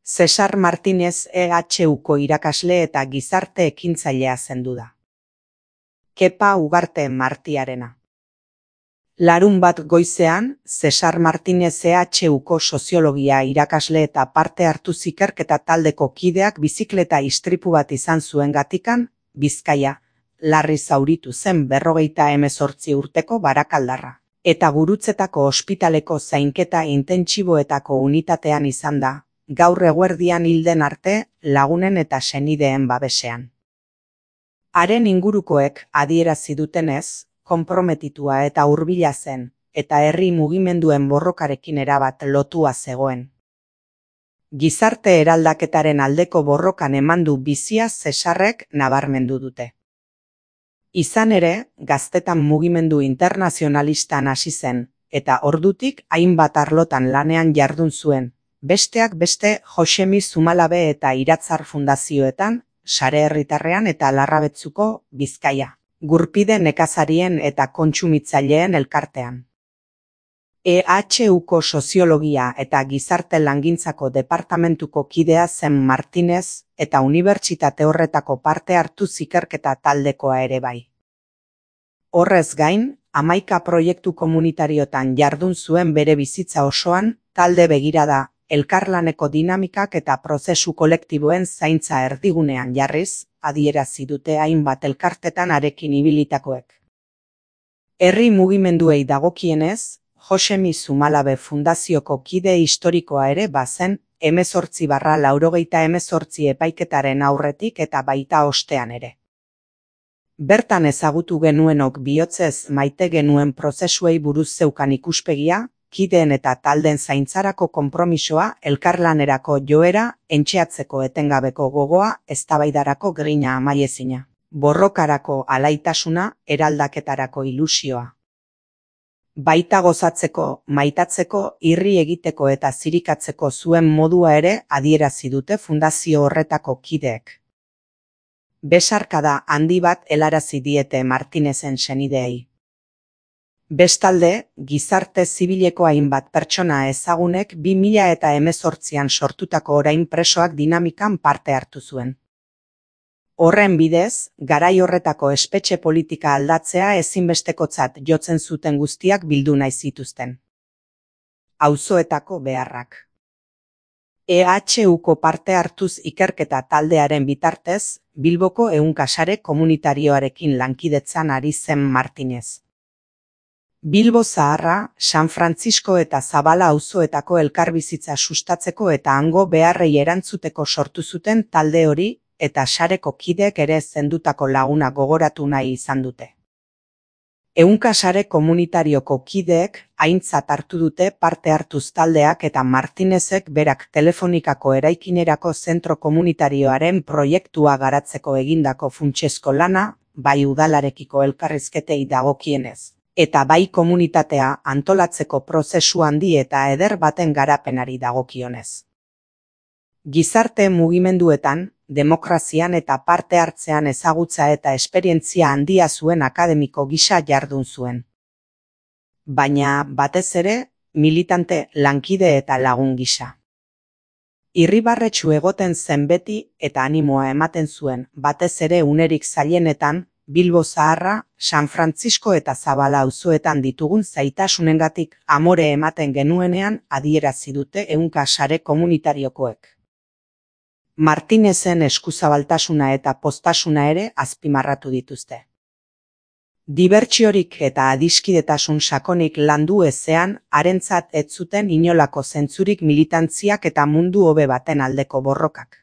Cesar Martínez EHUko irakasle eta gizarte ekintzailea zendu da. Kepa Ugarte Martiarena. Larunbat goizean, Cesar Martínez EHUko soziologia irakasle eta parte hartu ikerketa taldeko kideak bizikleta istripu bat izan zuengatikan, Bizkaia, larri zauritu zen 58 urteko barakaldarra. Eta Gurutzetako ospitaleko zainketa intentsiboetako unitatean izan da, gaur eguerdian hilden arte lagunen eta senideen babesean. Haren ingurukoek adierazi dutenez, konprometitua eta hurbila zen, eta herri mugimenduen borrokarekin erabat lotua zegoen. Gizarte eraldaketaren aldeko borrokan eman du bizia Cesarrek nabarmendu dute. Izan ere, gaztetan mugimendu internazionalistan hasi zen, eta ordutik hainbat arlotan lanean jardun zuen, besteak beste Josemi Zumalabe eta Iratzar fundazioetan, Sare Herritarrean eta Larrabetzuko, Bizkaia, Gurpide nekazarien eta kontsumitzaileen elkartean. EHUko soziologia eta gizarte langintzako departamentuko kidea zen Martínez eta unibertsitate horretako parte hartu ikerketa taldekoa ere bai. Horrez gain, 11 proiektu komunitariotan jardun zuen bere bizitza osoan, talde begirada, elkarlaneko dinamikak eta prozesu kolektiboen zaintza erdigunean jarriz, adierazi dute hainbat elkartetan harekin ibilitakoek. Herri mugimenduei dagokienez, Josemi Zumalabe fundazioko kide historikoa ere bazen 18/88 epaiketaren aurretik eta baita ostean ere. Bertan ezagutu genuenok bihotzez maite genuen prozesuei buruz zeukan ikuspegia, kideen eta talden zaintzarako konpromisoa, elkarlanerako joera, entxeatzeko etengabeko gogoa, eztabaidarako grina amaiezina, borrokarako alaitasuna, eraldaketarako ilusioa. Baita gozatzeko, maitatzeko, irri egiteko eta zirikatzeko zuen modua ere adierazi dute fundazio horretako kideek. Besarkada handi bat helarazi diete Martínezen senideei. Bestalde, gizarte zibileko hainbat pertsona ezagunek 2018an sortutako orain presoak dinamikan parte hartu zuen. Horren bidez, garai horretako espetxe politika aldatzea ezinbestekotzat jotzen zuten guztiak bildu nahi zituzten. Auzoetako beharrak. EHUko parte hartuz ikerketa taldearen bitartez, Bilboko ehunka sare komunitarioarekin lankidetzan ari zen Martínez. Bilbo Zaharra, San Francisco eta Zabala auzoetako elkarbizitza sustatzeko eta hango beharrei erantzuteko sortu zuten talde hori, eta sareko kideek ere zendutako laguna gogoratu nahi izan dute. Ehunka sare komunitarioko kideek aintzat hartu dute parte hartuz taldeak eta Martínezek berak telefonikako eraikinerako zentro komunitarioaren proiektua garatzeko egindako funtsezko lana, bai udalarekiko elkarrizketei dagokienez, eta bai komunitatea antolatzeko prozesu handi eta eder baten garapenari dagokionez. Gizarte mugimenduetan, demokrazian eta parte hartzean ezagutza eta esperientzia handia zuen akademiko gisa jardun zuen. Baina, batez ere, militante, lankide eta lagun gisa. Irribarretsu egoten zen beti eta animoa ematen zuen, batez ere unerik zailenetan, Bilbo Zaharra, San Francisco eta Zabala auzoetan ditugun zaitasunengatik amore ematen genuenean adierazi dute ehunka sare komunitariokoek. Martínezen eskuzabaltasuna eta postasuna ere azpimarratu dituzte. Dibertsiorik eta adiskidetasun sakonik landu ezean, harentzat ez zuten inolako zentzurik militantziak eta mundu hobe baten aldeko borrokak.